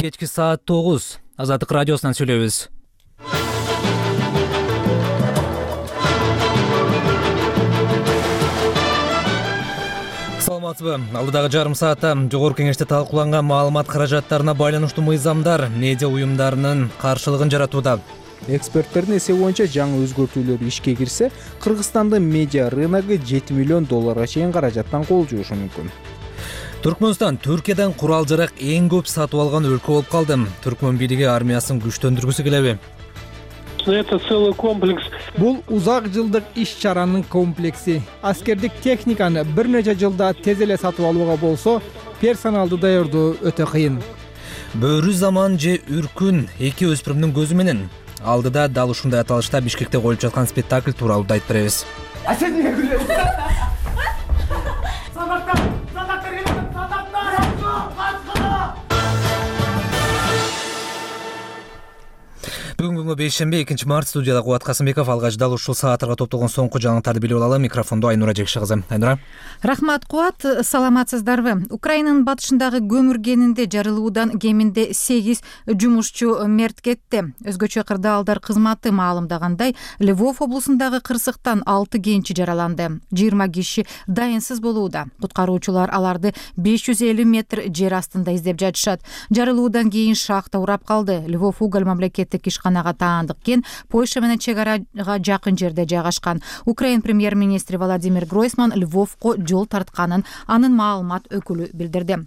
Кечки саат 9 Азаттык радиосунан сүйлөйбүз. Саламатсызбы? Алдыдагы жарым саатта жогорку кеңеште талкууланган маалымат каражаттарына байланыштуу мыйзамдар медиа уюмдарынын каршылыгын жаратууда. Эксперттердин эсеби боюнча жаңы өзгөртүүлөр ишке кирсе, Кыргызстандын медиа рыногу $7 миллион чейин каражаттан кол жуушу мүмкүн. Түркмөнстан Түркиядан курал-жарак эң көп сатып алган өлкө болуп калды. Түркмөн бийлиги армиясын күчтөндүргүсү келеби? Это целый комплекс. Бул узак жылдык иш-чаранын комплекси. Аскердик техниканы бир нече жылда тез эле сатып алууга болсо, персоналды даярдоо өтө кыйын. Бөрү заман же үркүн эки өспүрүмдүн көзү менен. Алдыда дал ушундай аталышта Бишкекте коюлуп жаткан спектакль тууралуу айтып беребиз. Бүгүнкү бейшембе 2-март студияда Кубат Касымбеков, алгач дал ушул сааттарга топтолгон соңку жаңылыктарды билип алалы. Микрофондо Айнура Жекши кызы. Айнура. Рахмат, Кубат. Саламатсыздарбы? Украинанын батышындагы көмүр кенинде жарылуудан кеминде 8 жумушчу мерт кетти. Өзгөчө кырдаалдар кызматы маалымдагандай, Львов облусундагы кырсыктан 6 кенчи жараланды. 20 киши дайынсыз болууда. Куткаруучулар аларды 550 метр жер астында издеп жатышат. Жарылуудан кийин шахта урап калды. Львов уголь мамлекеттик ишканага таандык кен Польша менен чек арага жакын жерде жайгашкан. Украин премьер-министри Владимир Гройсман Львовко жол тартканын анын маалымат өкүлү билдирди.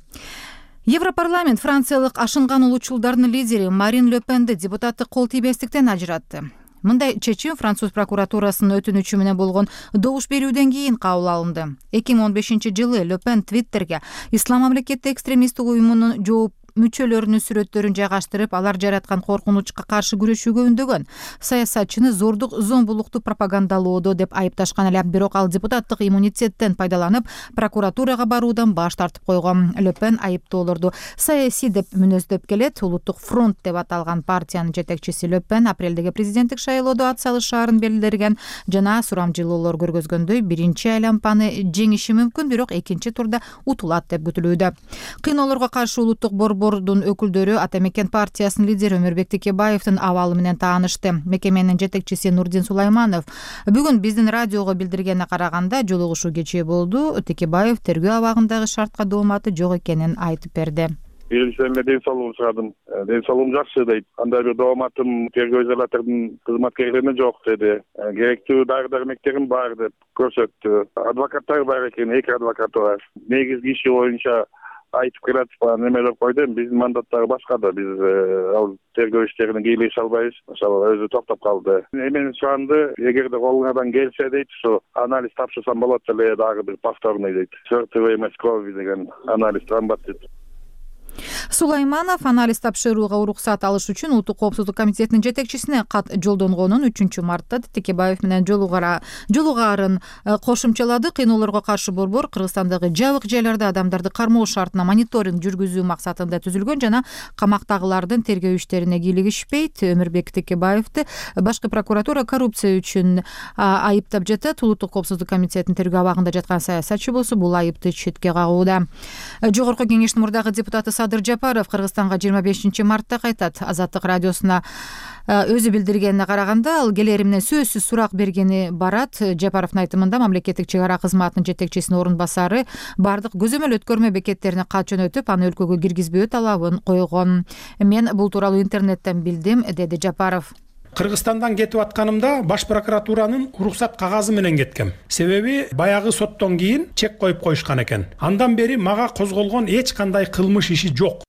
Европарламент франциялык ашынган улуучулдардын лидери Марин Ле Пенди депутаттык кол тийбестиктен ажыратты. Мындай чечим француз прокуратурасынын өтүнүчү менен болгон добуш берүүдөн кийин кабыл алынды. 2015-жылы Ле Пен Твиттерге Ислам мамлекети экстремисттик уюмунун жооп мүчөлөрүнүн сүрөттөрүн жайгаштырып, алар жараткан коркунучка каршы күрөшүүгө үндөгөн. Саясатчыны зордук, зомбулукту пропагандалоодо деп айыпташкан эле, бирок ал депутаттык иммунитеттен пайдаланып, прокуратурага баруудан баш тартып койгон. Ле Пен айыптоолорду саясий деп мүнөздөп келет. Улуттук фронт деп аталган партиянын жетекчиси Ле Пен апрелдеги президенттик шайлоодо ат салышаарын белгилеген жана сурамжылоолор көргөзгөндөй биринчи айлампаны жеңиши мүмкүн, бирок экинчи турда утулат деп күтүлүүдө. Кыйноолорго каршы улуттук борбордун өкүлдөрү Ата Мекен партиясынын лидери Өмүрбек Текебаевдин абалы менен таанышты. Мекеменин жетекчиси Нурдин Сулайманов бүгүн биздин радиого билдиргенине караганда, жолугушуу кечээ болду. Текебаев тергөө абагындагы шартка дооматы жок экенин айтып берди. Биринчиден ден соолугум сурадым. Ден соолугум жакшы дейт. Андай бир дооматым тергөө изолятордун кызматкерлерине жок деди. Керектүү дары-дармектерим бар деп көрсөттү. Адвокаттар бар экен, эки адвокат бар. Негизги иши боюнча айтып келатып немелер койду. Биздин мандаттары башка да. Биз ал тергөө иштерине кийлеше албайбыз. Ошол өзү токтоп калды. Эмени суранды, эгерде колуңардан келсе дейт, ушу анализ тапшырсам болот эле, дагы бир повторный дейт. Сортовый крови деген анализ трамбат дейт. Сулайманов анализ тапшырууга уруксат алыш үчүн Улуттук коопсуздук комитетинин жетекчисине кат жолдонгонун 3-мартта Текебаев менен жолугаарын кошумчалады. Кыйноолорго каршы борбор Кыргызстандагы жабык жайларда адамдарды кармоо шартына мониторинг жүргүзүү максатында түзүлгөн жана камактагылардын тергөө иштерине кийлигишпейт. Өмүрбек Текебаевди башкы прокуратура коррупция үчүн айыптап жатат. Улуттук коопсуздук комитетинин тергөө абагында жаткан саясатчы болсо бул айыпты четке кагууда. Жогорку кеңештин мурдагы депутаты Садыр Жапаров Кыргызстанга 25-мартта кайтат. Азаттык радиосуна өзү билдиргенине караганда, ал келери менен сөзсүз сурак бергени барат. Жапаровдун айтымында мамлекеттик чек ара кызматынын жетекчисинин орун басары бардык көзөмөл өткөрмө бекеттерине кат жөнөтүп, аны өлкөгө киргизбөө талабын койгон. Мен бул тууралуу интернеттен билдим, деди Жапаров. Кыргызстандан кетип атканымда баш прокуратуранын уруксат кагазы менен кеткем. Себеби баягы соттон кийин чек коюп коюшкан экен. Андан бери мага козголгон эч кандай кылмыш иши жок.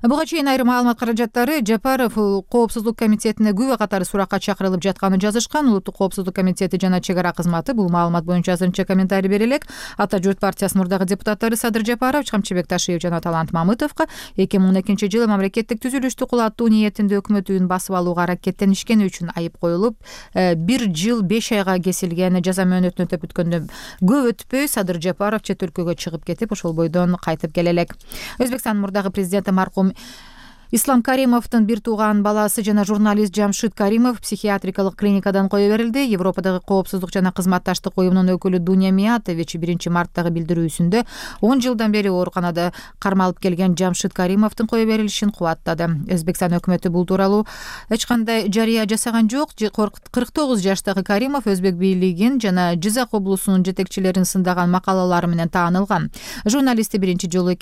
Буга чейин айрым маалымат каражаттары Жапаров коопсуздук комитетине күбө катары суракка чакырылып жатканын жазышкан. Улуттук коопсуздук комитети жана чек ара кызматы бул маалымат боюнча азырынча комментарий бере элек. Ата журт партиясынын мурдагы депутаттары Садыр Жапаров, Камчыбек Ташиев жана Талант Мамытовго 2012-жылы мамлекеттик түзүлүштү кулаттуу ниетинде өкмөт үйүн басып алууга аракеттенишкени үчүн айып коюлуп, 1 жыл 5 айга кесилген жаза мөөнөтүн өтөп бүткөндөн көп өтпөй Садыр Жапаров чет өлкөгө чыгып кетип, ошол бойдон кайтып келе элек. Өзбекстандын мурдагы президенти маркум Ислам Каримовдун бир тууган баласы жана журналист Жамшид Каримов психиатрикалык клиникадан кое берилди. Европадагы коопсуздук жана кызматташтык уюмунун өкүлү Дуня Миятович 1-марттагы билдирүүсүндө 10 жылдан бери ооруканада кармалып келген Жамшид Каримовдун кое берилишин кубаттады. Өзбекстан өкмөтү бул тууралуу эч кандай жарыя жасаган жок. 49 жаштагы Каримов өзбек бийлигин жана Жизак облусунун жетекчилерин сындаган макалалары менен таанылган. Журналистти биринчи жолу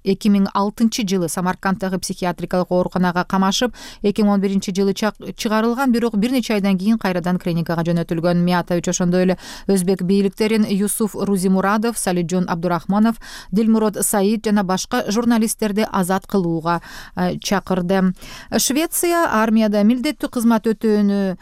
2006 жылы Самаркандтагы психиатрикалык ооруканага камашып, 2011 жылы чыгарылган, бирок бир нече айдан кийин кайрадан клиникага жөнөтүлгөн. Миятович ошондой эле өзбек бийликтерин Юсуф Рузимурадов, Салиджон Абдурахманов, Дилмурод Саид жана башка журналисттерди азат кылууга чакырды. Швеция армияда милдеттүү кызмат өтөөнү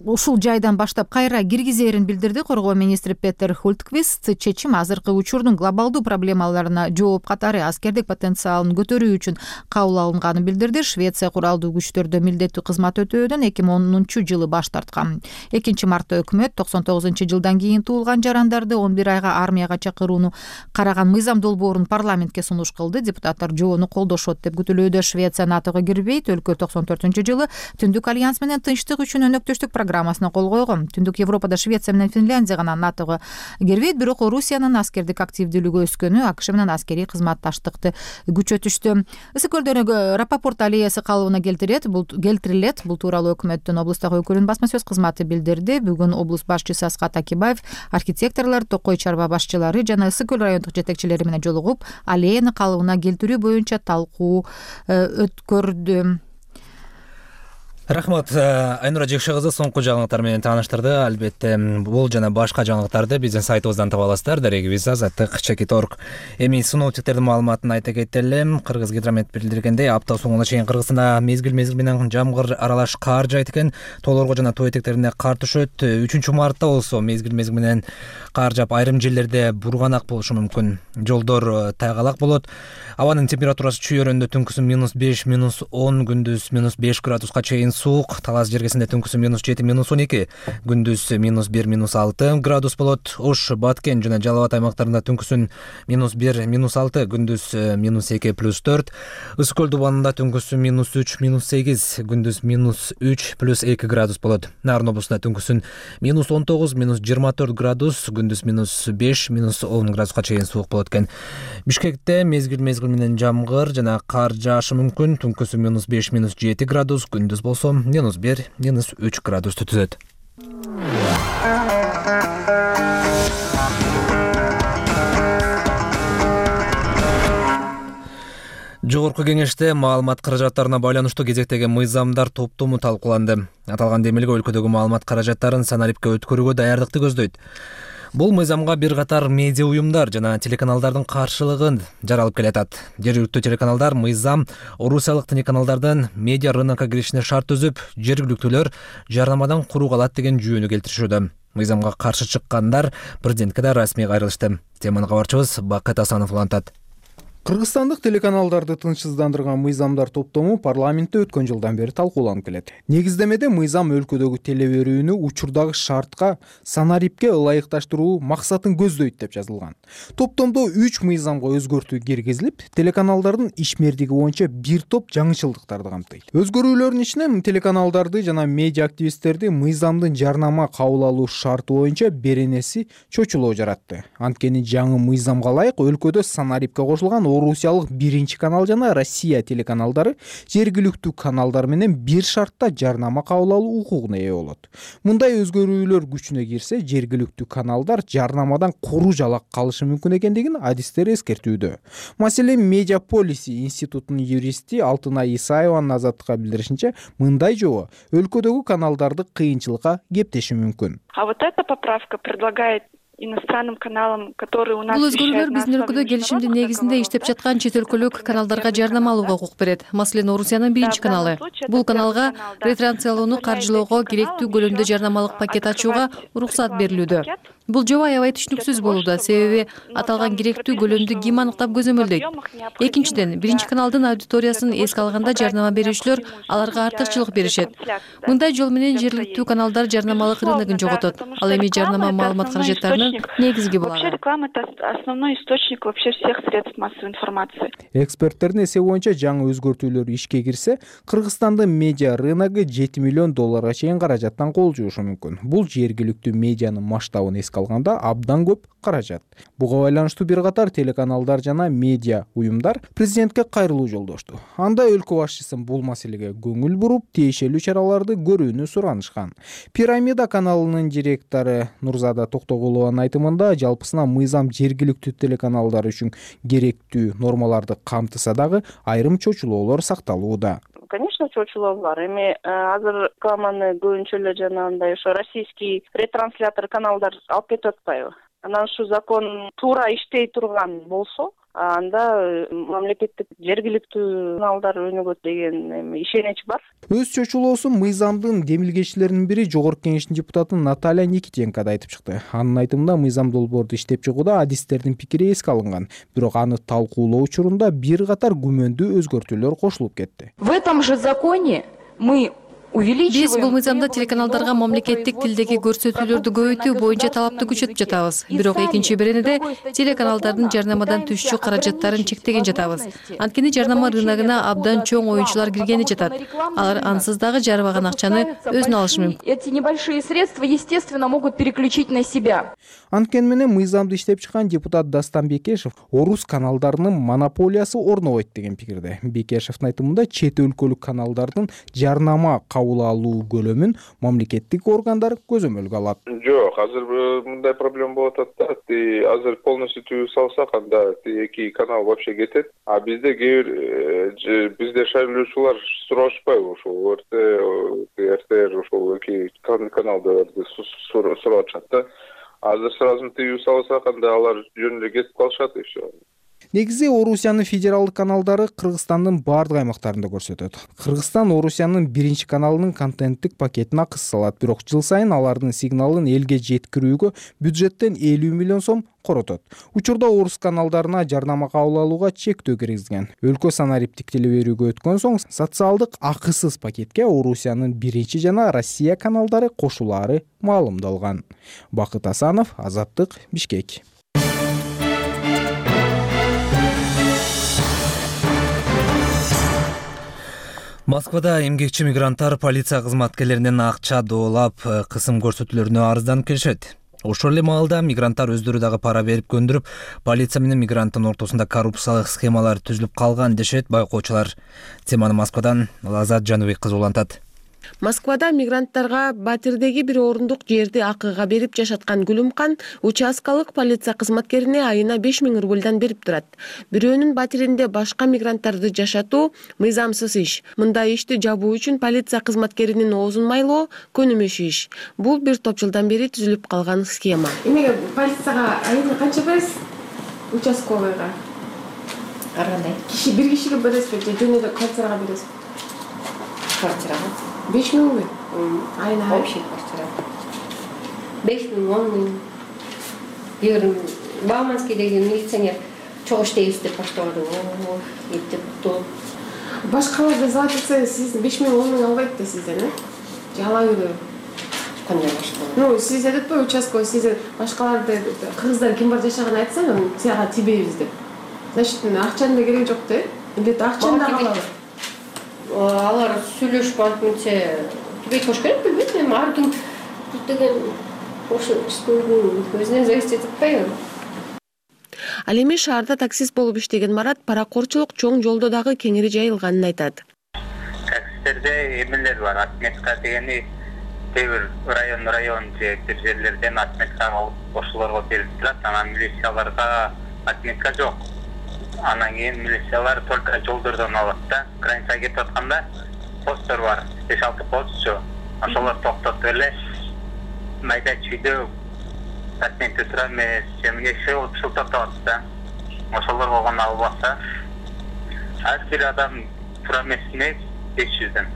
ушул жайдан баштап кайра киргизерин билдирди. Коргоо министри Петер Хултквист чечим азыркы учурдун глобалдуу проблемаларына жооп катары аскердик потенциалын көтөрүү үчүн кабыл алынганын билдирди. Швеция куралдуу күчтөрдө милдеттүү кызмат өтөөдөн 2010 жылы баш тарткан. 2-мартта өкмөт 99 жылдан кийин туулган жарандарды 11 айга армияга чакырууну караган мыйзам долбоорун парламентке сунуш кылды. Депутаттар жобону колдошот деп күтүлүүдө. Швеция НАТОго кирбейт. Өлкө 94 жылы Түндүк альянс менен тынчтык үчүн өнөктөштүк программасына кол койгон. Түндүк Европада Швеция менен Финляндия гана НАТОго кирбейт, бирок Орусиянын аскердик активдүүлүгү өскөнү АКШ менен аскерий кызматташтыкты күчөтүштү. Ысык көлдөгү Рапопорт аллеясы калыбына келтирилет. Бул тууралуу өкмөттүн облустагы өкүлүнүн басма сөз кызматы билдирди. Бүгүн облус башчысы Аскат Акибаев архитекторлор, Токой чарба башчылары жана Ысык көл райондук жетекчилери менен жолугуп, аллеяны калыбына келтирүү боюнча талкуу өткөрдү. Рахмат, Айнура Жекше кызы соңку жаңылыктар менен тааныштырды. Албетте, бул жана башка жаңылыктарды биздин сайтыбыздан таба аласыздар. Дарегибиз @chekit.org. Эми синоптиктердин маалыматын айта кетели. Кыргызгидромет билдиргендей, апта соңуна чейин Кыргызстанда мезгил менен жамгыр аралаш кар жаайт экен. Тоолорго жана тоо этектерине кар түшөт. 3-мартта болсо мезгил менен кар жаап, айрым жерлерде бурганак болушу мүмкүн. Жолдор тайгалак болот. Абанын температурасы чүйөрөндө түнкүсүн -5, -10, күндүз -5 градуска чейин суук. Талас жергесинде түнкүсүн -7, -12, күндүз -1, -6 градус болот. Ош, Баткен жана Жалал Абад аймактарында түнкүсүн -1, -6, күндүз -2, +4. Ысык көл дубанында түнкүсүн -3, -8, күндүз -3, +2 градус болот. Нарын облусунда түнкүсүн -19, -24 градус, күндүз -5, -10 градуска чейин суук болот экен. Бишкекте мезгил менен жамгыр жана кар жаашы мүмкүн. Түнкүсүн -5, -7 градус, күндүз болсо -1, -3 градусту түзөт. Жогорку кеңеште маалымат каражаттарына байланыштуу кезектеги мыйзамдар топтому талкууланды. Аталган демилге өлкөдөгү маалымат каражаттарын санарипке өткөрүүгө даярдыкты көздөйт. Бул мыйзамга бир катар медиа уюмдар жана телеканалдардын каршылыгын жаралып келатат. Жергиликтүү телеканалдар мыйзам орусиялык телеканалдардын медиа рынокко киришине шарт түзүп, жергиликтүүлөр жарнамадан куру калат деген жүйөнү келтиришүүдө. Мыйзамга каршы чыккандар президентке да расмий кайрылышты. Теманы кабарчыбыз Бакыт Асанов улантат. Кыргызстандык телеканалдарды тынчсыздандырган мыйзамдар топтому парламентте өткөн жылдан бери талкууланып келет. Негиздемеде мыйзам өлкөдөгү теле берүүнү учурдагы шартка, санарипке ылайыкташтыруу максатын көздөйт деп жазылган. Топтомдо 3 мыйзамга өзгөртүү киргизилип, телеканалдардын ишмердиги боюнча бир топ жаңычылдыктарды камтыйт. Өзгөрүүлөрдүн ичинен телеканалдарды жана медиа активисттерди мыйзамдын жарнама кабыл алуу шарты боюнча беренеси чочулоо жаратты. Анткени жаңы мыйзамга ылайык өлкөдө санарипке кошулган Орусиялык 1 канал жана Россия телеканалдары жергиликтүү каналдар менен бир шартта жарнама кабыл алуу укугуна ээ болот. Мындай өзгөрүүлөр күчүнө кирсе, жергиликтүү каналдар жарнамадан куру жалак калышы мүмкүн экендигин адистер эскертүүдө. Маселен, Медиаполис институтунун юристи Алтынай Исаеванын Азаттыкка билдиришинче, мындай жобо өлкөдөгү каналдарды кыйынчылыкка кептеши мүмкүн. А вот эта поправка предлагает иностранным каналам, которые у нас бул өзгөрүүлөр биздин өлкөдө келишимдин негизинде иштеп жаткан чет өлкөлүк каналдарга жарнама алууга укук берет. Маселен, Орусиянын 1 каналы. Бул каналга ретрансляцияны каржылоого керектүү көлөмдө жарнамалык пакет ачууга уруксат берилүүдө. Бул жоба аябай түшүнүксүз болууда, себеби аталган керектүү көлөмдү ким аныктап көзөмөлдөйт? Экинчиден, биринчи каналдын аудиториясын эске алганда жарнама берүүчүлөр аларга артыкчылык беришет. Мындай жол менен жергиликтүү каналдар жарнамалык рыногун жоготот. Ал эми жарнама маалымат каражаттарынын негизги булагы. Вообще реклама — это основной источник вообще всех средств массовой информации. Эксперттердин эсеби боюнча жаңы өзгөртүүлөр ишке кирсе, Кыргызстандын медиа рыногу $7 миллион чейин каражаттан кол жуушу мүмкүн. Бул жергиликтүү медианын масштабын эске алганда абдан көп каражат. Буга байланыштуу бир катар телеканалдар жана медиа уюмдар президентке кайрылуу жолдошту. Анда өлкө башчысын бул маселеге көңүл буруп, тиешелүү чараларды көрүүнү суранышкан. Пирамида каналынын директору Нурзада Токтогулованын айтымында, жалпысына мыйзам жергиликтүү телеканалдар үчүн керектүү нормаларды камтыса дагы айрым чочулоолор сакталууда. Конечно, чочулоо бар. Эми азыр рекламаны көбүнчө эле жанагындай ошо российский ретранслятор каналдар алып кетип атпайбы? Анан ушу закон туура иштей турган болсо, анда мамлекеттик жергиликтүү каналдар өнүгөт деген ишенич бар. Өз чочулоосун мыйзамдын демилгечилеринин бири Жогорку Кеңештин депутаты Наталья Никитенко да айтып чыкты. Анын айтымында, мыйзам долбоорду иштеп чыгууда адистердин пикири эске алынган, бирок аны талкуулоо учурунда бир катар күмөндүү өзгөртүүлөр кошулуп кетти. В этом же законе мы Биз бул мыйзамда телеканалдарга мамлекеттик тилдеги көрсөтүүлөрдү көбөйтүү боюнча талапты күчөтүп жатабыз. Бирок экинчи беренеде телеканалдардын жарнамадан түшчү каражаттарын чектеген жатабыз. Анткени жарнама рыногуна абдан чоң оюнчулар киргени жатат. Алар ансыз дагы жарбаган акчаны өзүнө алышы мүмкүн. Эти небольшие средства, естественно, могут переключить на себя. Анткени менен мыйзамды иштеп чыккан депутат Дастан Бекешев орус каналдарынын монополиясы орнобойт деген пикирде. Бекешевдин айтымында, чет өлкөлүк каналдардын жарнама кабыл алуу көлөмүн мамлекеттик органдар көзөмөлгө алат. Жок, азыр мындай проблема болуп атат да. Азыр полностью түзүп салсак, анда эки канал вообще кетет. А бизде бизде шайлоочулар сурашпайбы ошол РТР ошол эки каналдарды сурап атышат да. Азыр сразу түзүп салсак, анда алар жөн эле кетип калышат и всё. Негизи Орусиянын федералдык каналдары Кыргызстандын бардык аймактарында көрсөтөт. Кыргызстан Орусиянын биринчи каналынын контенттик пакетин акысы салат, бирок жыл сайын алардын сигналын элге жеткирүүгө бюджеттен 50 миллион сом коротот. Учурда орус каналдарына жарнама кабыл алууга чектөө киргизген. Өлкө санариптик телеберүүгө өткөн соң социалдык акысыз пакетке Орусиянын биринчи жана Россия каналдары кошулаары маалымдалган. Бакыт Асанов, Азаттык, Бишкек. Москвада эмгекчи мигранттар полиция кызматкерлеринен акча доолап, кысым көрсөтүүлөрүнө арызданып келишет. Ошол эле маалда мигранттар өздөрү дагы пара берип көндүрүп, полиция менен мигранттын ортосунда коррупциялык схемалар түзүлүп калган дешет байкоочулар. Теманы Москвадан Лазат Жаныбек кызы улантат. Москвада мигранттарга Батирдеги бир орундук жерди акыга берип жашаткан Гүлүмкан участкалык полиция кызматкерине айына 5000 рубльдан берип турат. Бирөөнүн батиринде башка мигранттарды жашатуу мыйзамсыз иш. Мындай ишти жабуу үчүн полиция кызматкеринин оозун майлоо көнүмүш иш. Бул бир топ жылдан бери түзүлүп калган схема. Эмнеге полицияга айына канча бересиз? Участковыйга. Ар кандай? Бир кишиге бересизби же жөн эле квартирага бересизби? Квартирага. 5000 айына общий квартира. 5000, 10 000. Егер Бауманскийдеги милиционер чогуу иштейбиз деп баштабады. Эптеп топ. Башкаларда залат этсе, сиз 5000, 10 000 албайт да сизден, же ала береби? Кандай башкалар? Ну, сиз айтпайбы участковый, сиз башкаларды кыргыздар ким бар жашаган айтсаң, сага тийбейбиз деп. Значит, акчанын да кереги жок да? Эле акчаны да алабы? Алар сүйлөшүп антымча түбөйт кош керек билбейт, эми ар ким деген ошо өзүнө зависит этип атпайбы. Ал эми шаарда таксист болуп иштеген Марат паракорчулук чоң жолдо дагы кеңири жайылганын айтат. Таксистерде эмелер бар, отметка дегени кээ бир район же бир жерлерден отметка алып ошолорго берип турат, анан милицияларга отметка жок. Анан кийин милициялар только жолдордон алат да. Границага кетип атканда посттор бар, 5-6 постчу. Ошолор токтотуп эле майда чүйдө отметке тура эмес, эмне шылтап атат да. Ошолорго гана албаса, ар бир адам тура эмесине 500дөн.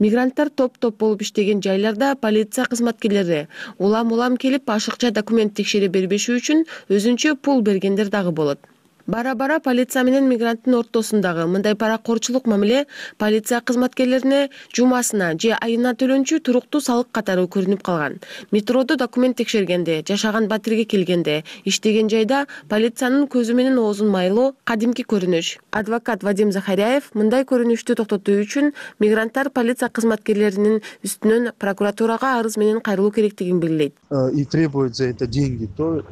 Мигранттар топ болуп иштеген жайларда полиция кызматкерлери улам келип ашыкча документ текшере бербеши үчүн өзүнчө пул бергендер дагы болот. Бара полиция менен мигранттын ортосундагы мындай паракорчулук мамиле полиция кызматкерлерине жумасына же айына төлөнчү туруктуу салык катары көрүнүп калган. Метродо документ текшергенде, жашаган батирге келгенде, иштеген жайда полициянын көзү менен оозун майлоо кадимки көрүнүш. Адвокат Вадим Захаряев мындай көрүнүштү токтотуу үчүн мигранттар полиция кызматкерлеринин үстүнөн прокуратурага арыз менен кайрылуу керектигин белгилейт. И требует за это деньги, то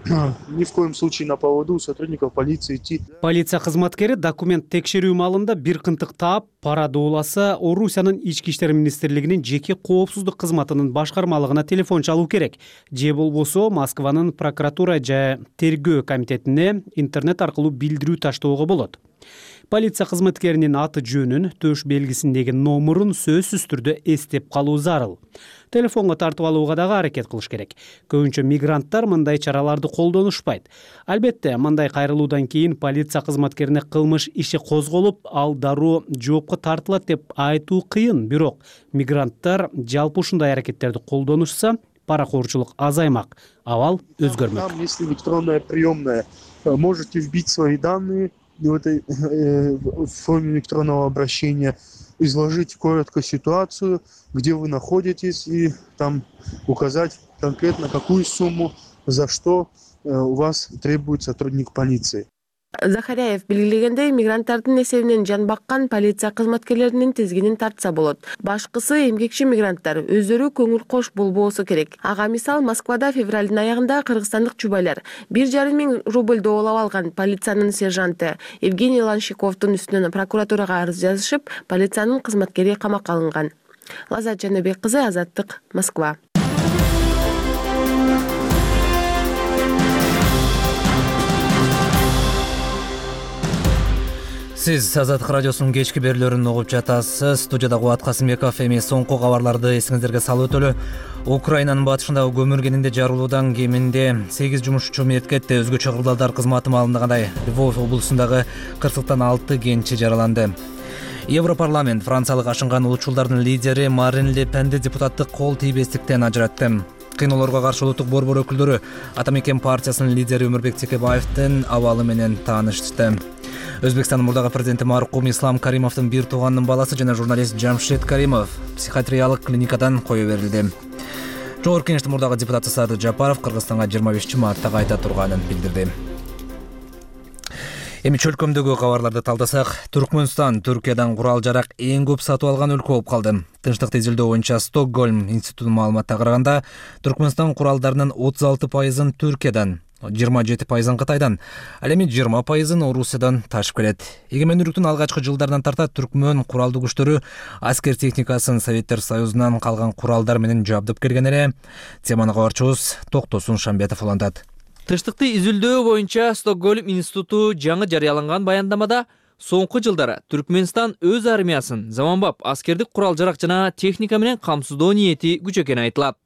ни в коем случае на поводу сотрудников полиции. Полиция кызматкери документ текшерүү маалында бир кынтык таап, пара дууласа, Орусиянын ички иштер министрлигинин жеке коопсуздук кызматынын башкармалыгына телефон чалуу керек. Же болбосо Москванын прокуратура же тергөө комитетине интернет аркылуу билдирүү таштоого болот. Полиция кызматкеринин аты жөнүн, төш белгисиндеги номурун сөзсүз түрдө эстеп калуу зарыл. Телефонго тартып алууга дагы аракет кылыш керек. Көбүнчө мигранттар мындай чараларды колдонушпайт. Албетте, мындай кайрылуудан кийин полиция кызматкерине кылмыш иши козголуп, ал дароо жоопко тартылат деп айтуу кыйын, бирок мигранттар жалпы ушундай аракеттерди колдонушса, паракорчулук азаймак, абал өзгөрмөк. Там, если электронная приемная, можете вбить свои данные в этой форме электронного обращения, изложить коротко ситуацию, где вы находитесь, и там указать конкретно, какую сумму, за что у вас требует сотрудник полиции. Захаряев белгилегендей, мигранттардын эсебинен жан баккан полиция кызматкерлеринин тизгинин тартса болот. Башкысы эмгекчи мигранттар өздөрү көңүл кош болбосу керек. Ага мисал, Москвада февралдын аягында кыргызстандык жубайлар 1,5 миң рубль доолап алган полициянын сержанты Евгений Ланшиковдун үстүнөн прокуратурага арыз жазышып, полициянын кызматкери камакка алынган. Лазат Жаныбек кызы, Азаттык, Москва. Сиз Азаттык радиосунун кечки берүүлөрүн угуп жатасыз. Студияда Кубат Касымбеков. Эми соңку кабарларды эсиңиздерге салып өтөлү. Украинанын батышындагы көмүркенинде жарылуудан кеминде 8 жумушчу мерт кетти. Өзгөчө кырдаалдар кызматы маалымдагандай, Львов облусундагы кырсыктан 6 кенчи жараланды. Европарламент франциялык ашынган улутчулдардын лидери Марин Ле Пенди депутаттык кол тийбестиктен ажыратты. Кыйноолорго каршы улуттук борбор өкүлдөрү Ата Мекен партиясынын лидери Өмүрбек Текебаевдин абалы менен таанышты. Өзбекстандын мурдагы президенти маркум Ислам Каримовдун бир тууганынын баласы жана журналист Жамшед Каримов психиатриялык клиникадан кое берилди. Жогорку Кеңештин мурдагы депутаты Садыр Жапаров Кыргызстанга 25-мартта кайта турганын билдирди. Эми чөлкөмдөгү кабарларды талдасак, Түркмөнстан Түркиядан курал-жарак эң көп сатып алган өлкө болуп калды. Тынчтыкты изилдөө боюнча Стокгольм институтунун маалыматына караганда, Түркмөнстан куралдарынын 36%-ын Түркиядан, 27%-ын Кытайдан, ал эми 20%-ын Орусиядан ташып келет. Эгемендүүлүктүн алгачкы жылдарынан тарта Түркмөн куралдуу күчтөрү аскер техникасын Советтер Союзунан калган куралдар менен жабдып келген эле. Теманы кабарчыбыз Токтосун Шамбетов улантат. Тынчтыкты изилдөө боюнча Стокгольм институту жаңы жарыяланган баяндамада соңку жылдары Түркмөнстан өз армиясын заманбап аскердик курал-жарак жана техника менен камсыздоо ниети күч экени айтылат.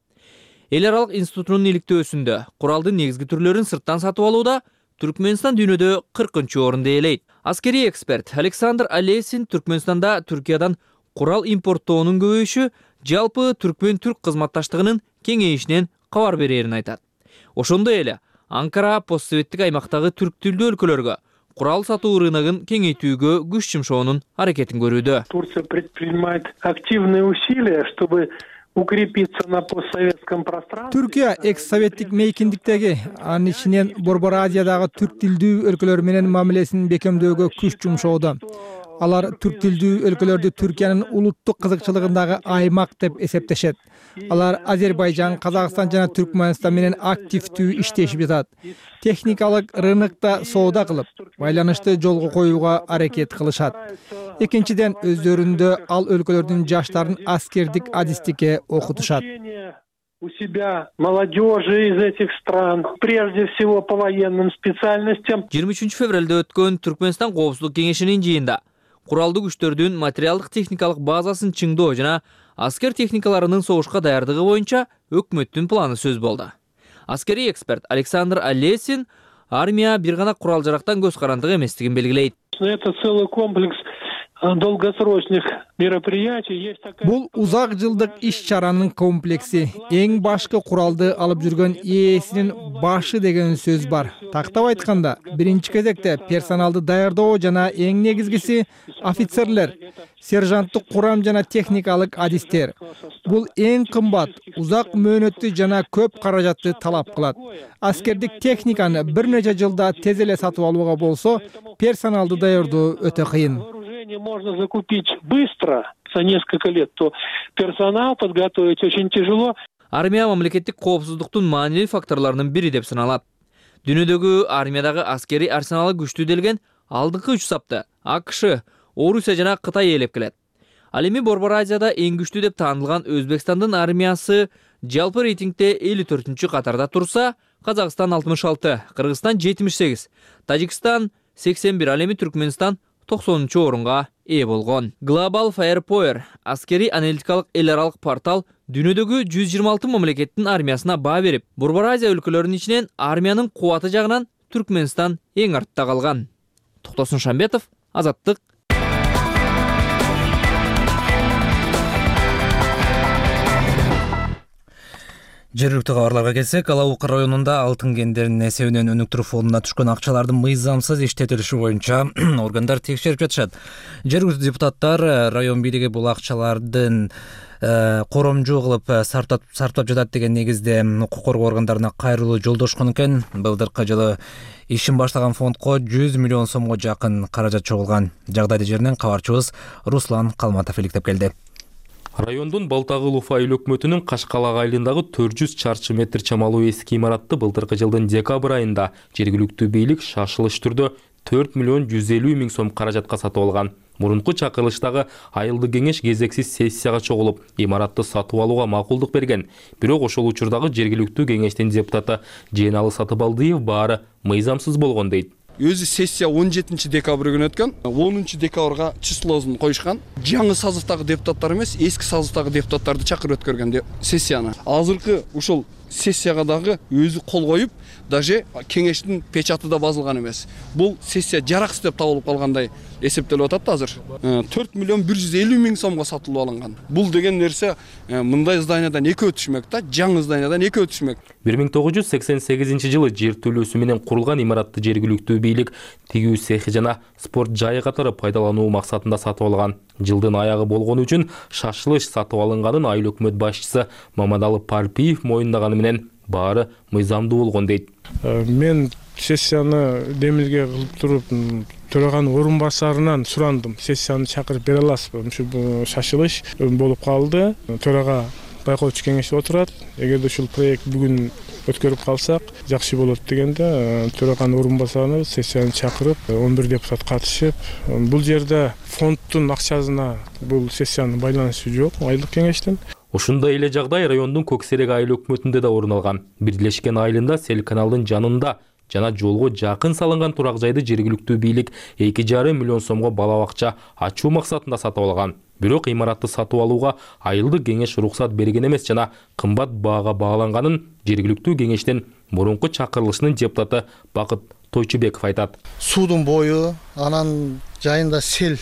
Эл аралык институтунун иликтөөсүндө куралдын негизги түрлөрүн сырттан сатып алууда Түркмөнстан дүйнөдө 40-орунду ээлейт. Аскерий эксперт Александр Алесин Түркмөнстанда Түркиядан курал импорттоонун көбөйүшү жалпы түркмөн-түрк кызматташтыгынын кеңейишинен кабар берерин айтат. Ошондой эле Анкара постсоветтик аймактагы түрк тилдүү өлкөлөргө курал сатуу рыногун кеңейтүүгө күч жумшоонун аракетин көрүүдө. Турция предпринимает активные усилия, чтобы укрепиться на постсоветском пространстве. Түркия экс-советтик мейкиндиктеги, анын ичинен Борбор Азиядагы түрк тилдүү өлкөлөр менен мамилесин бекемдөөгө күч жумшоодо. Алар түрк тилдүү өлкөлөрдү Түркиянын улуттук кызыкчылыгындагы аймак деп эсептешет. Алар Азербайжан, Казакстан жана Түркмөнстан менен активдүү иштешип жатат. Техникалык рынокто соода кылып, байланышты жолго коюуга аракет кылышат. Экинчиден, өздөрүндө ал өлкөлөрдүн жаштарын аскердик адистикке окутушат. У себя молодежи из этих стран, прежде всего по военным специальностям. 23 февралда өткөн Түркмөнстан коопсуздук кеңешинин жыйында куралдуу күчтөрдүн материалдык техникалык базасын чыңдоо жана аскер техникаларынын согушка даярдыгы боюнча өкмөттүн планы сөз болду. Аскерий эксперт Александр Алесин армия бир гана курал-жарактан көз карандык эместигин белгилейт. Это целый комплекс долгосрочных мероприятий. Есть такая... Бул узак жылдык иш-чаранын комплекси. Эң башкы куралды алып жүргөн ээсинин башы деген сөз бар. Тактап айтканда, биринчи кезекте персоналды даярдоо жана эң негизгиси офицерлер, сержанттык курам жана техникалык адистер. Бул эң кымбат, узак мөөнөттүү жана көп каражатты талап кылат. Аскердик техниканы бир нече жылда тез эле сатып алууга болсо, персоналды даярдоо өтө кыйын. Можно закупить быстро, за несколько лет, то персонал подготовить очень тяжело. Армия мамлекеттик коопсуздуктун маанилүү факторлорунун бири деп саналат. Дүйнөдөгү армиядагы аскери арсеналы күчтүү делген алдыңкы үч сапты АКШ, Орусия жана Кытай ээлеп келет. Ал эми Борбор Азияда эң күчтүү деп таанылган Өзбекстандын армиясы жалпы рейтингде 54-чү катарда турса, Казакстан 66, Кыргызстан 78, Тажикстан 81, ал эми Түркмөнстан 90-чу орунга ээ болгон. Global Firepower аскери аналитикалык эл аралык портал дүйнөдөгү 126 мамлекеттин армиясына баа берип, Борбор Азия өлкөлөрүнүн ичинен армиянын кубаты жагынан Түркмөнстан эң артта калган. Токтосун Шамбетов, Азаттык. Жергиликтүү кабарларга келсек, Алабука районунда алтын кендеринин эсебинен өнүктүрүү фондуна түшкөн акчалардын мыйзамсыз иштетилиши боюнча органдар текшерип жатышат. Жергиликтүү депутаттар район бийлиги бул акчалардын коромжу кылып сарптап жатат деген негизде укук коргоо органдарына кайрылуу жолдошкон экен. Былдыркы жылы ишин баштаган фондко 100 миллион сомго жакын каражат чогулган. Жагдайды жеринен кабарчыбыз Руслан Калматов иликтеп келди. Райондун Балтагыл Уфа эл өкмөтүнүн Кашкалак айылындагы 400 чарчы метр чамалуу эски имаратты былтыркы жылдын декабрь айында жергиликтүү бийлик шашылыш түрдө 4 миллион 150 миң сом каражатка сатып алган. Мурунку чакырылыштагы айылдык кеңеш кезексиз сессияга чогулуп, имаратты сатып алууга макулдук берген. Бирок ошол учурдагы жергиликтүү кеңештин депутаты Жeenалы Сатыбалдыев баары мыйзамсыз болгон дейт. Өзү сессия 17 декабрь күнү өткөн. 10 декабрга числосун коюшкан. Жаңы созывдагы депутаттар эмес, эски созывдагы депутаттарды чакырып өткөргөн сессияны. Азыркы ушул сессияга дагы өзү кол коюп, даже кеңештин печаты да басылган эмес. Бул сессия жараксыз деп табылып калгандай эсептелип атат азыр. 4 миллион 150 миң сомго сатылып алынган. Бул деген нерсе мындай зданиядан экөө түшмөк да, жаңы зданиядан экөө түшмөк. 1988-жылы жер төлөөсү менен курулган имаратты жергиликтүү бийлик тигүү цехи жана спорт жайы катары пайдалануу максатында сатып алган. Жылдын аягы болгону үчүн шашылыш сатып алынганын айыл өкмөт башчысы Мамадалы Парпиев моюндаганы менен баары мыйзамдуу болгон дейт. Мен сессияны демилге кылып туруп, төраган орун басарынан сурандым. Сессияны чакырып бере аласызбы? Ушул шашылыш болуп калды. Төрага байкоочу кеңеш отурат. Эгерде ушул проект бүгүн өткөрүп калсак, жакшы болот дегенде, төраган орун басарына сессияны чакырып, 11 депутат катышып, бул жерде фонддун акчасына бул сессиянын байланышы жок, айылдык кеңештин. Ушундай эле жагдай райондун Көксерек айыл өкмөтүндө да орун алган. Бирлешкен айылында Сел каналдын жанында жана жолго жакын салынган турак жайды жергиликтүү бийлик 2,5 миллион сомго балабакча ачуу максатында сатып алган. Бирок имаратты сатып алууга айылдык кеңеш уруксат берген эмес жана кымбат баага бааланганын жергиликтүү кеңештин мурунку чакырылышынын депутаты Бакыт Тойчубеков айтат. Суудун бою, анан жайында сел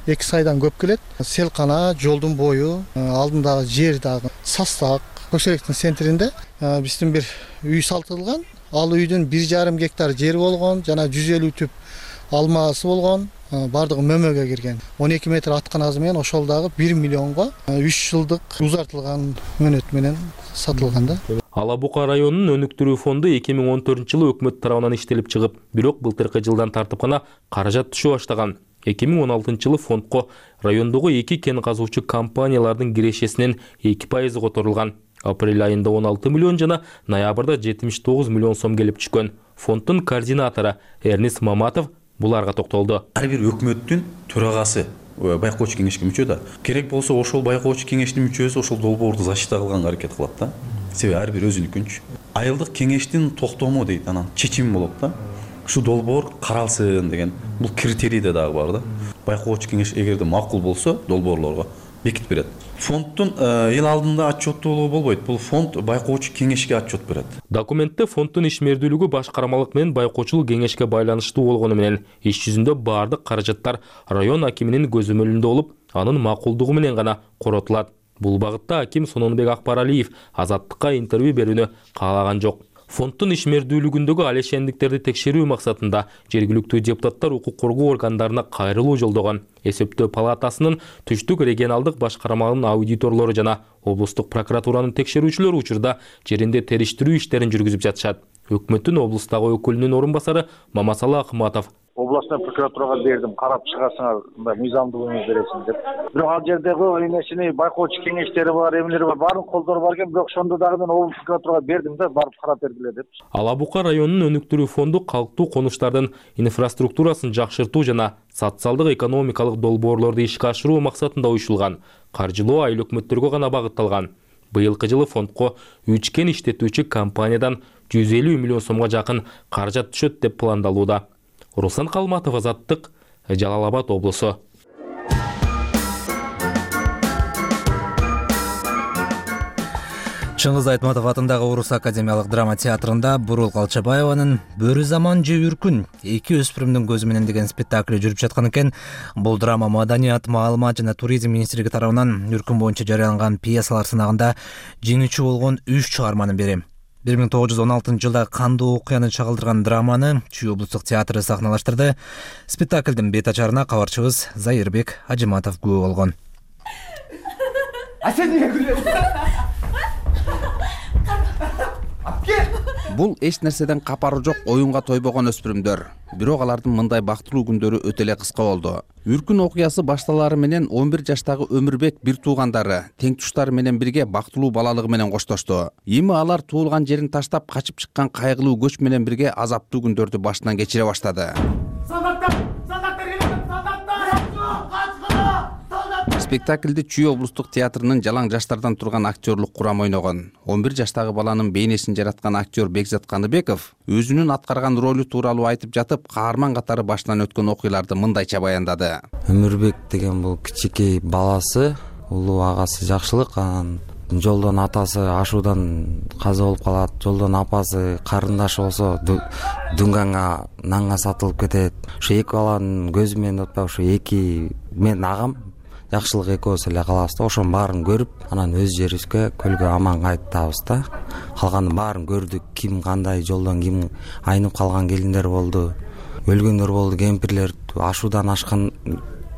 2 сайдан көп келет. Сел кана, жолдун бою, алдындагы жер дагы Састак, Көксеректин центринде биздин бир үй салтылган. Ал үйдүн 1,5 гектар жери болгон, жана 150 түп алмасы болгон, бардыгы мөмөгө кирген. 12 метр атканазы менен ошол дагы 1 миллионго 3 жылдык узартылган мөөнөт менен сатылган да. Алабука районунун өнүктүрүү фонду 2014-жылы өкмөт тарабынан иштелип чыгып, бирок былтыркы жылдан тартып гана каражат түшө баштаган. 2016-жылы фондко райондогу 2 кен казуучу компаниялардын кирешесинен 2% которулган. Апрель айында 16 миллион жана ноябрда 79 миллион сом келип түшкөн. Фонддун координатору Эрнис Маматов буларга токтолду. Ар бир өкмөттүн төрагасы байкоочу кеңешке мүчө да. Керек болсо ошол байкоочу кеңештин мүчөсү ошол долбоорду защита кылганга аракет кылат да. Себеби ар бир өзүнүкүнчү. Айылдык кеңештин токтому дейт, анан чечими болот да. Ушу долбоор каралсын деген бул критерий да дагы бар да. Байкоочу кеңеш эгерде макул болсо долбоорлорго бекитип берет. Фонддун эл алдында отчеттуулугу болбойт. Бул фонд байкоочу кеңешке отчет берет. Документте фонддун ишмердүүлүгү башкармалык менен байкоочулук кеңешке байланыштуу болгону менен иш жүзүндө баардык каражаттар район акиминин көзөмөлүндө болуп, анын макулдугу менен гана коротулат. Бул багытта аким Сононбек Акбаралиев Азаттыкка интервью берүүнү каалаган жок. Фонддун ишмердүүлүгүндөгү алешендиктерди текшерүү максатында жергиликтүү депутаттар укук коргоо органдарына кайрылуу жолдогон. Эсептөө палатасынын Түштүк регионалдык башкармалынын аудиторлору жана облустук прокуратуранын текшерүүчүлөрү учурда жеринде териштирүү иштерин жүргүзүп жатышат. Өкмөттүн облустагы өкүлүнүн орун басары Мамасалы Акматов областной прокуратурага бердим, карап чыгасыңар, мындай мыйзамдуу эмес бересиң деп. Бирок ал жердеги эмесини байкоочу кеңештери бар, эмелери бар, баарын колдор бар экен, бирок ошондо дагы мен облус прокуратурага бердим да, барып карап бергиле деп. Ала Бука районунун өнүктүрүү фонду калктуу конуштардын инфраструктурасын жакшыртуу жана социалдык экономикалык долбоорлорду ишке ашыруу максатында уюшулган. Каржылоо айыл өкмөттөргө гана багытталган. Быйылкы жылы фондко 3 кен иштетүүчү компаниядан 150 миллион сомго жакын каражат түшөт деп пландалууда. Руслан Калматов, Азаттык, Жалал Абад облусу. Чыңгыз Айтматов атындагы Орус академиялык драма театрында Бурул Калчабаеванын «Бөрү заман же үркүн» эки өспүрүмдүн көзү менен деген спектакли жүрүп жаткан экен. Бул драма Маданият, маалымат жана туризм министрлиги тарабынан үркүн боюнча жарыяланган пьесалар сынагында жеңүүчү болгон 3 чыгарманын бири. 1916 жылда кандуу окуяны чагылдырган драманы Чүй облустук театры сахналаштырды. Спектаклдин бет ачарына кабарчыбыз Заирбек Ажиматов күбө болгон. Бул эч нерседен капары жок оюнга тойбогон өспүрүмдөр. Бирок алардын мындай бактылуу күндөрү өтө эле кыска болду. Үркүн окуясы башталары менен 11 жаштагы Өмүрбек бир туугандары тең туштары менен бирге бактылуу балалыгы менен коштошту. Эми алар туулган жерин таштап качып чыккан кайгылуу көч менен бирге азаптуу күндөрдү башынан кечире баштады. Спектаклде Чүй облустук театрынын жалаң жаштардан турган актерлук курам ойногон. 11 жаштагы баланын бейнесин жараткан актер Бекзат Каныбеков өзүнүн аткарган ролу тууралуу айтып жатып, каарман катары башынан өткөн окуяларды мындайча баяндады. Өмүрбек деген бул кичинекей баласы, улуу агасы жакшылык, анан жолдон атасы ашуудан каза болуп калат, жолдон апасы карындашы болсо дүнгаңга нанга сатылып кетет. Ошо эки баланын көзү менен отпай, ошо эки мен агам жакшылык экөөбүз эле калабыз да. Ошонун баарын көрүп, анан өз жерибизге көлгө аман кайтабыз да. Калганын баарын көрдүк, ким кандай жолдон ким айнып калган келиндер болду, өлгөндөр болду, кемпирлер ашуудан ашкан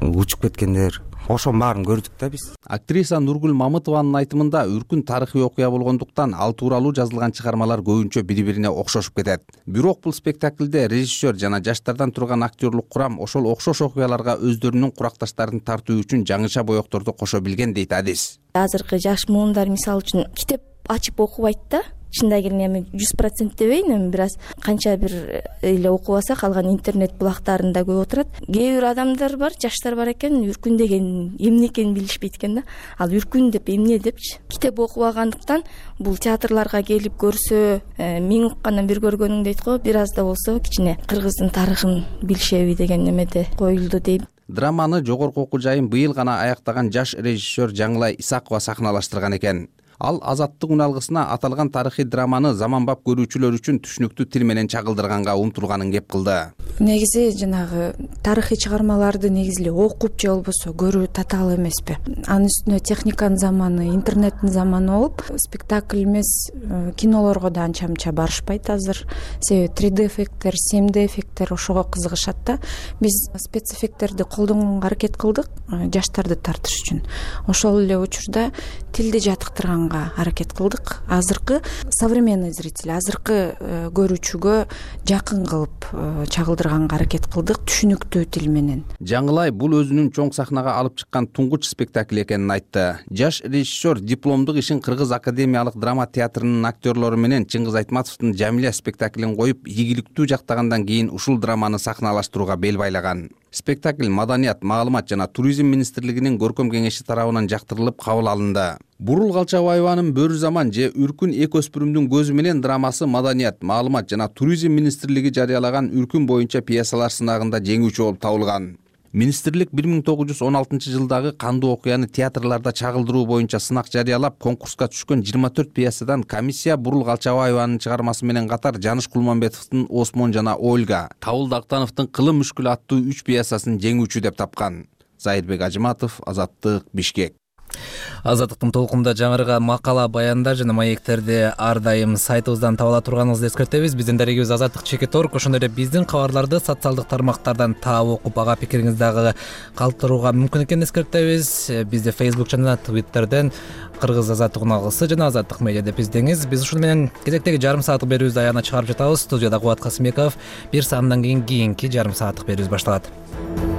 учуп кеткендер. Ошонун баарын көрдүк да биз. Актриса Нургүл Мамытованын айтымында үркүн тарыхый окуя болгондуктан ал тууралуу жазылган чыгармалар көбүнчө бири-бирине окшошуп кетет. Бирок бул спектаклде режиссер жана жаштардан турган актерлук курам ошол окшош окуяларга өздөрүнүн куракташтарын тартуу үчүн жаңыча боекторду кошо билген дейт Адис. Азыркы жаш муундар мисалы үчүн китеп ачып окубайт да. Чындап келгенде эми 100% дебейин, эми бир аз канча бир эле окуп алса калган интернет булактарында көп отурат. Кээ бир адамдар бар, жаштар бар экен, үркүн деген эмне экенин билишпейт экен да. Ал үркүн деп эмне депчи. Китеп окубагандыктан бул театрларга келип көрсө, миң уккандан бир көргөнүң дейт го, бир аз да болсо кичине кыргыздын тарыхын билишеби деген немеде коюлду дейм. Драманы жогорку окуу жайын быйыл гана аяктаган жаш режиссер Жаңылай Исакова сахналаштырган экен. Ал Азаттык үналгысына аталган тарыхый драманы заманбап көрүүчүлөр үчүн түшүнүктүү тил менен чагылдырганга умтулганын кеп кылды. Негизи жанагы тарыхый чыгармаларды негизи эле окуп же болбосо көрүү татаал эмеспи. Анын үстүнө техниканын заманы, интернеттин заманы болуп, спектакль эмес, кинолорго да анча мынча барышпайт азыр. Себеби 3D эффекттер, 7D эффекттер ошого кызыгышат да. Биз спецэффекттерди колдонганга аракет кылдык, жаштарды тартыш үчүн. Ошол эле учурда тилди жатыктырганга аракет кылдык. Азыркы современный зритель, азыркы көрүүчүгө жакын кылып чагылдырганга аракет кылдык, түшүнүктүү тил менен. Жаңылай бул өзүнүн чоң сахнага алып чыккан туңгуч спектакль экенин айтты. Жаш режиссер дипломдук ишин Кыргыз академиялык драма театрынын актерлору менен Чыңгыз Айтматовдун Жамиля спектаклин коюп, ийгиликтүү жактагандан кийин ушул драманы сахналаштырууга бел байлаган. Спектакль Маданият, маалымат жана туризм министрлигинин көркөм кеңеши тарабынан жактырылып кабыл алынды. Бурул Калчабаеванын «Бөрү заман же үркүн эки өспүрүмдүн көзү менен» драмасы Маданият, маалымат жана туризм министрлиги жарыялаган үркүн боюнча пьесалар сынагында жеңүүчү болуп табылган. Министрлик 1916 жылдагы кандуу окуяны театрларда чагылдыруу боюнча сынак жарыялап, конкурска түшкөн 24 пьесадан комиссия Бурул Калчабаеванын чыгармасы менен катар Жаныш Кулманбетовдун Осмон жана Ольга, Табыл Дактановдун Кылым мүшкүл аттуу 3 пьесасын жеңүүчү деп тапкан. Зайырбек Ажыматов, Азаттык, Бишкек. Азаттыктын толкунда жаңырга макала, баяндар жана маектерди ар дайым сайтыбыздан таба ала турганыңызды эскертебиз. Биздин дарегибиз Азаттык.org. Ошондой эле биздин кабарларды социалдык тармактардан таап окуп, ага пикириңизди дагы калтырууга мүмкүн экенин эскертебиз. Бизде Facebook жана Twitterден Кыргыз Азаттык уналгысы жана Азаттык медиа деп издеңиз. Биз ушуну менен кезектеги жарым сааттык берүүбүздү аягына чыгарып жатабыз. Студияда Кубат Касымбеков. Бир саамдан кийинки жарым сааттык берүүбүз башталат.